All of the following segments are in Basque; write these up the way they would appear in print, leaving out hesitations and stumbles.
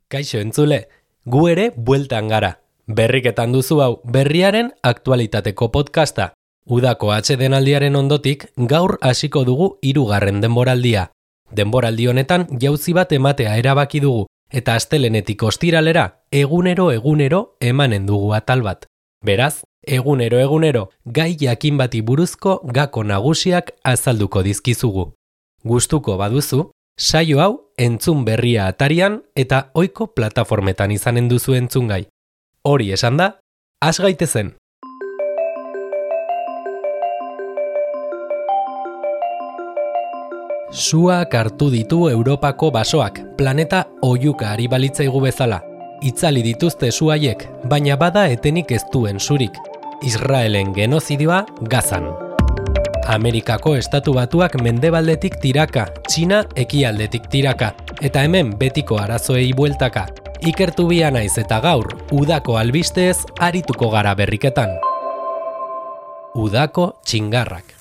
Kaixo entzule, gu ere bueltan gara. Berriketan duzu hau berriaren aktualitateko podcasta. Udako atsedenaldiaren ondotik gaur hasiko dugu 3. denboraldia. Denboraldi honetan jauzi bat ematea erabaki dugu eta astelenetik ostiralera egunero emanen dugu atal bat. Beraz, egunero gai jakin bati buruzko gako nagusiak azalduko dizkizugu. Gustuko baduzu, saio hau entzun berria atarian eta ohiko plataformetan izanen duzu entzungai. Hori esan da, has gaitezen. Suak hartu ditu Europako basoak, planeta oihuka ari balitzaigu bezala. Itzali dituzte su haiek, baina bada etenik ez duen surik. Israelen genozidioa Gazan. Amerikako Estatu Batuak mendebaldetik tiraka, Txina ekialdetik tiraka, eta hemen betiko arazoei bueltaka. Ikertu bia naiz eta gaur, udako albisteez arituko gara berriketan. Udako txingarrak.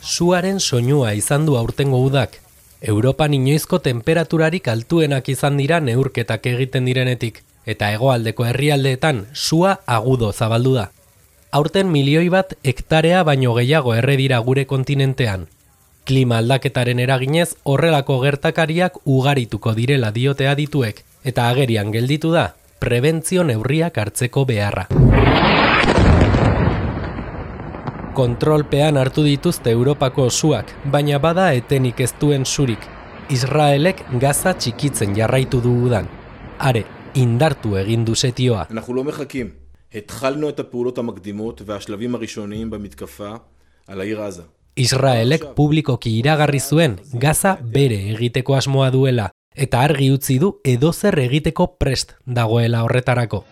Suaren soinua izan du aurtengo udak. Europan inoizko temperaturarik altuenak izan dira neurketak egiten direnetik, eta hegoaldeko herrialdeetan sua agudo zabaldu da. Aurten 1 milioi bat hektarea baino gehiago erre dira gure kontinentean. Klima aldaketaren eraginez horrelako gertakariak ugarituko direla diote adituek, eta agerian gelditu da prebentzio neurriak hartzeko beharra. Kontrolpean hartu dituzte Europako suak, baina bada etenik ez duen surik. Israelek Gaza txikitzen jarraitu du udan. Are, indartu egin du setioa. אנחנו לא מחכים. התחלנו את הפעולות המקדימות והשלבים הראשוניים במתקפה על העיר עזה. Israelek publikoki iragarri zuen Gaza bere egiteko asmoa duela, eta argi utzi du edozer egiteko prest dagoela horretarako.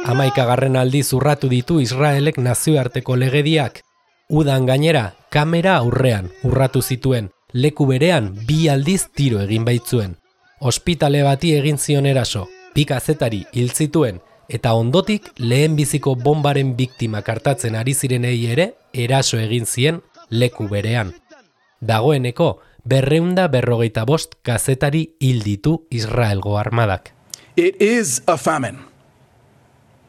Hamaikagarren aldiz urratu ditu Israelek nazioarteko legediak. Udan gainera, kamera aurrean urratu zituen, leku berean 2 aldiz tiro egin baitzuen. Ospitale bati egin zion eraso, 2 kazetari hil zituen, eta ondotik lehenbiziko bombaren biktimak hartatzen ari zirenei ere eraso egin zien leku berean. Dagoeneko 245 kazetari hil ditu Israelgo armadak. It is a famine.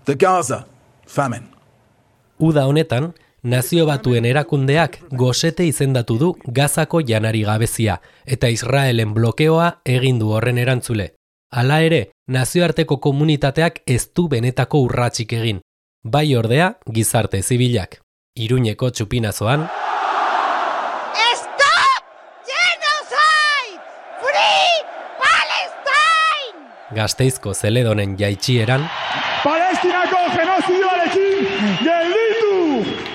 The Gaza famine. Uda honetan, Nazio Batuen erakundeak gosete izendatu du Gazako janari gabezia, eta Israelen blokeoa egin du horren erantzule. Hala ere, nazioarteko komunitateak ez du benetako urratsik egin. Bai ordea, gizarte zibilak. Iruñeko txupinazoan, Stop genocide! Free Palestine! Gasteizko Zeledonen jaitsieran, Palestinako genozidioarekin gelditu!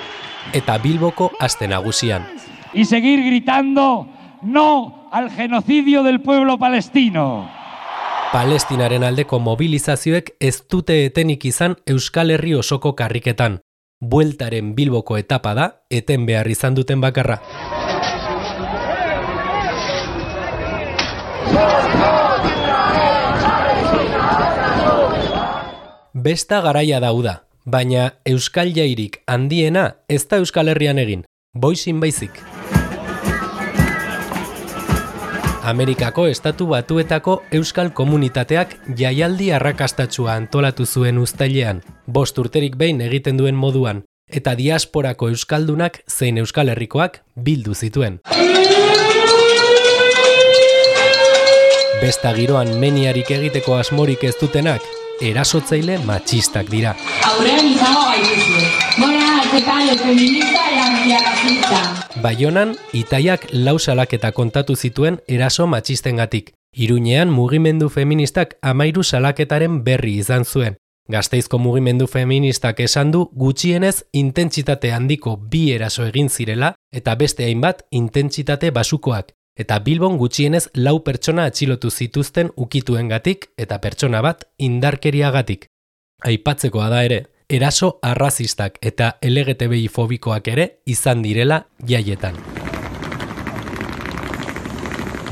eta Bilboko aste nagusian. Y seguir gritando no al genocidio del pueblo palestino. Palestinaren aldeko mobilizazioek ez dute etenik izan Euskal Herri osoko karriketan. Bueltaren Bilboko etapa da, eten behar izan duten bakarra. Besta garaia dauda, baina Euskal Jairik handiena ez da Euskal Herrian egin, boizin baizik. Amerikako Estatu Batuetako euskal komunitateak jaialdi arrakastatsua antolatu zuen uztailean, 5 urterik behin egiten duen moduan, eta diasporako euskaldunak zein Euskal Herrikoak bildu zituen. Besta giroan meniarik egiteko asmorik ez dutenak, erasotzaile matxistak dira. Aurrean izango gaituzue. Bona, altekale, feminista eta antiarracista. Baionan, Itaiak 4 salaketa kontatu zituen eraso matxistengatik. Iruñean mugimendu feministak 13 salaketaren berri izan zuen. Gasteizko mugimendu feministak esan du gutxienez intentsitate handiko 2 eraso egin zirela eta beste hainbat intentsitate basukoak. Eta Bilbon gutxienez 4 pertsona atxilotu zituzten ukituengatik eta pertsona bat indarkeriagatik. Aipatzekoa da ere, eraso arrazistak eta LGTBI fobikoak ere izan direla jaietan.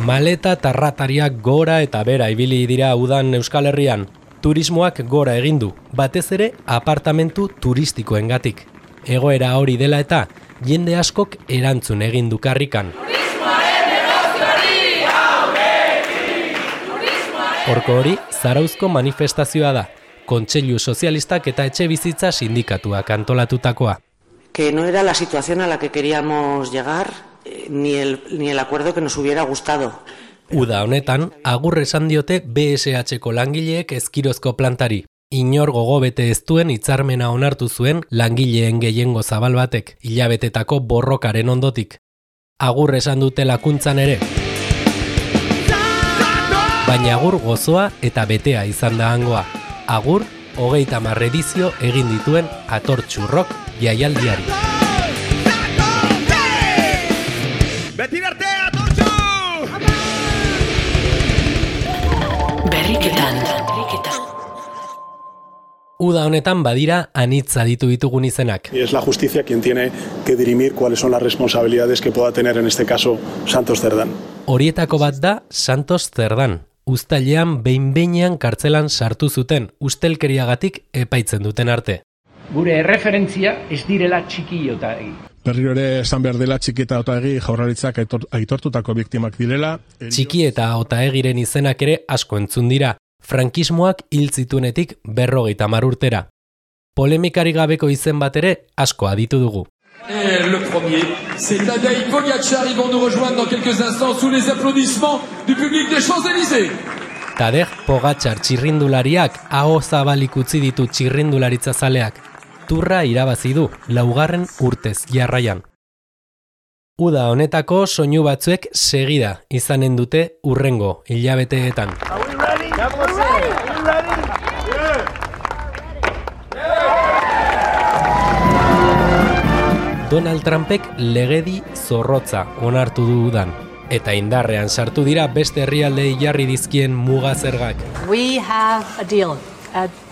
Maleta tarratariak gora eta bera ibili dira udan Euskal Herrian. Turismoak gora egin du, batez ere apartamentu turistikoengatik. Egoera hori dela eta, jende askok erantzun egin du karrikan. Horko hori, Zarauzko manifestazioa da, Kontseilu Sozialistak eta Etxebizitza Sindikatuak antolatutakoa. Que no era la situación a la que queríamos llegar, ni el acuerdo que nos hubiera gustado. Uda honetan, agur esan diote BSH-ko langileek Ezkirozko plantari. Inor gogobete ez duen hitzarmena onartu zuen langileen gehiengo zabal batek, hilabetetako borrokaren ondotik. Agur esan dute lakuntzan ere. Baina agur gozoa eta betea izan da hangoa. Agur, 30 edizio egin dituen atortxurrok jaialdiari. Beti arte atortxu! Berriketan. Uda honetan badira anitza ditugun izenak. Y es la justicia quien tiene que dirimir cuáles son las responsabilidades que pueda tener en este caso Santos Cerdán. Horietako bat da Santos Cerdán. Uztailean behin-behinean kartzelan sartu zuten ustelkeriagatik epaitzen duten arte. Gure erreferentzia ez direla Txiki Otaegi. Berriro ere esan behar dela Txiki eta Otaegi Jaurlaritzak aitortutako biktimak direla. Txiki eta Otaegiren izenak ere asko entzun dira. Frankismoak hil zituenetik 50 urtera. Polemikari gabeko izen bat ere asko aditu dugu. Le premier, c'est Tadej Pogačar. Ils vont nous rejoindre dans quelques instants sous les applaudissements du public des Champs-Élysées. Tadej Pogačar txirrindulariak aho zabalik utzi ditu txirrindularitza zaleak. Turra irabazi du 4. urtez jarraian. Uda honetako soinu batzuek segida izanen dute hurrengo hilabeteetan. Donald Trumpek legedi zorrotza onartu du udan, eta indarrean sartu dira beste herrialdei jarri dizkien muga zergak. We have a deal.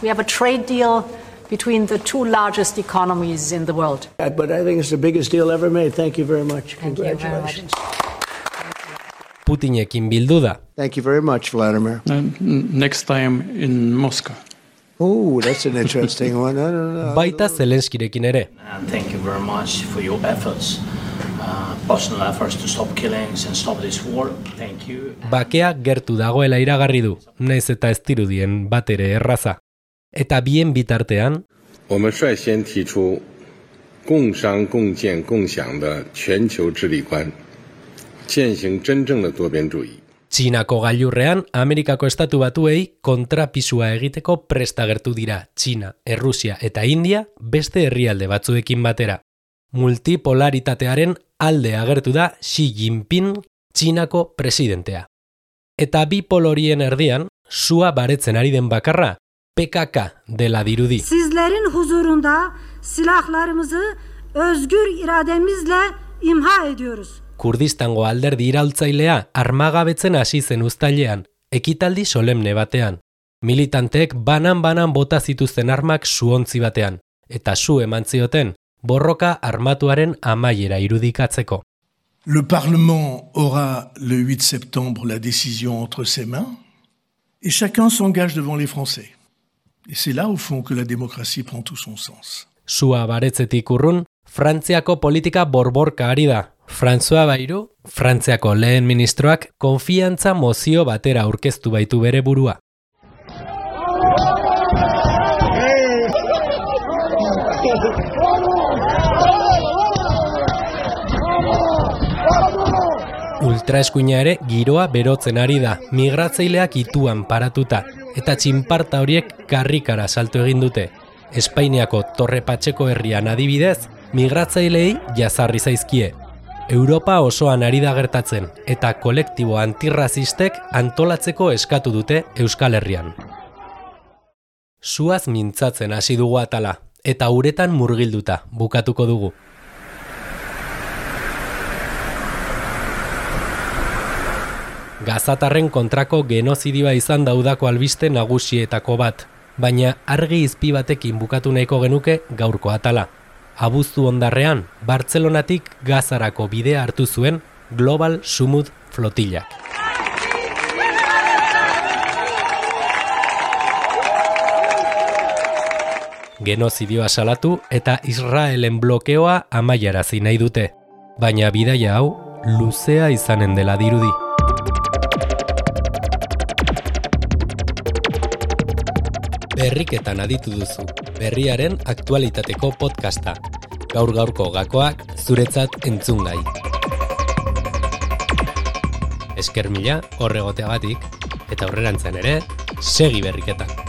We have a trade deal between the two largest economies in the world. But I think it's the biggest deal ever made. Thank you very much. Congratulations. Putinekin bildu da. Thank you very much, Vladimir. Next time in Moscow. Oh, that's an interesting one. Baita Zelenskirekin ere. Thank you very much for your efforts. Personal efforts to stop killings and stop this war. Thank you. Bakea gertu dagoela iragarri du, naiz eta ez dirudien bat ere erraza. Eta bien bitartean, 我们率先提出共商共建共享的全球治理观，践行真正的多边主义。 Txinako gailurrean, Amerikako estatu batuei kontrapisua egiteko prest agertu dira Txina, Errusia eta India beste herrialde batzuekin batera. Multipolaritatearen alde agertu da Xi Jinping, Txinako presidentea. Eta bi polorien erdian, sua baretzen ari den bakarra, PKK dela dirudi. Sizlerin huzurunda silahlarımızı özgür irademizle imha ediyoruz. Kurdistango alderdi iraultzailea armagabetzen hasi zen uztailean, ekitaldi solemne batean. Militanteek banan-banan bota zituzten armak suontzi batean, eta su eman zioten borroka armatuaren amaiera irudikatzeko. Le Parlement aura le 8 septembre la décision entre ses mains, et chacun s'engage devant les Français. Et c'est là, au fond, que la démocratie prend tout son sens. Sua baretzetik urrun, Frantziako politika borborka ari da. François Bayrou, Frantziako lehen ministroak, konfiantza mozio batera aurkeztu baitu bere burua. Ultraeskuina ere giroa berotzen ari da, migratzaileak ituan paratuta, eta txinparta horiek karrikara salto egin dute. Espainiako Torre Patxeko herrian adibidez, migratzaileei jazarri zaizkie. Europa osoan ari da gertatzen, eta kolektibo antirrazistek antolatzeko eskatu dute Euskal Herrian. Suaz mintzatzen hasi dugu atala, eta uretan murgilduta bukatuko dugu. Gazatarren kontrako genozidioa izan da udako albiste nagusietako bat, baina argi izpi batekin bukatu nahiko genuke gaurko atala. Abuztu ondarrean, Bartzelonatik Gazarako bidea hartu zuen Global Sumud flotillak. Genozidioa salatu eta Israelen blokeoa amaiarazi nahi dute. Baina bidaia hau luzea izanen dela dirudi. Berriketan aditu duzu, berriaren aktualitateko podcasta. Gaur-gaurko gakoak zuretzat entzungai. Esker mila horregoteagatik, eta aurrerantzean ere, segi berriketan.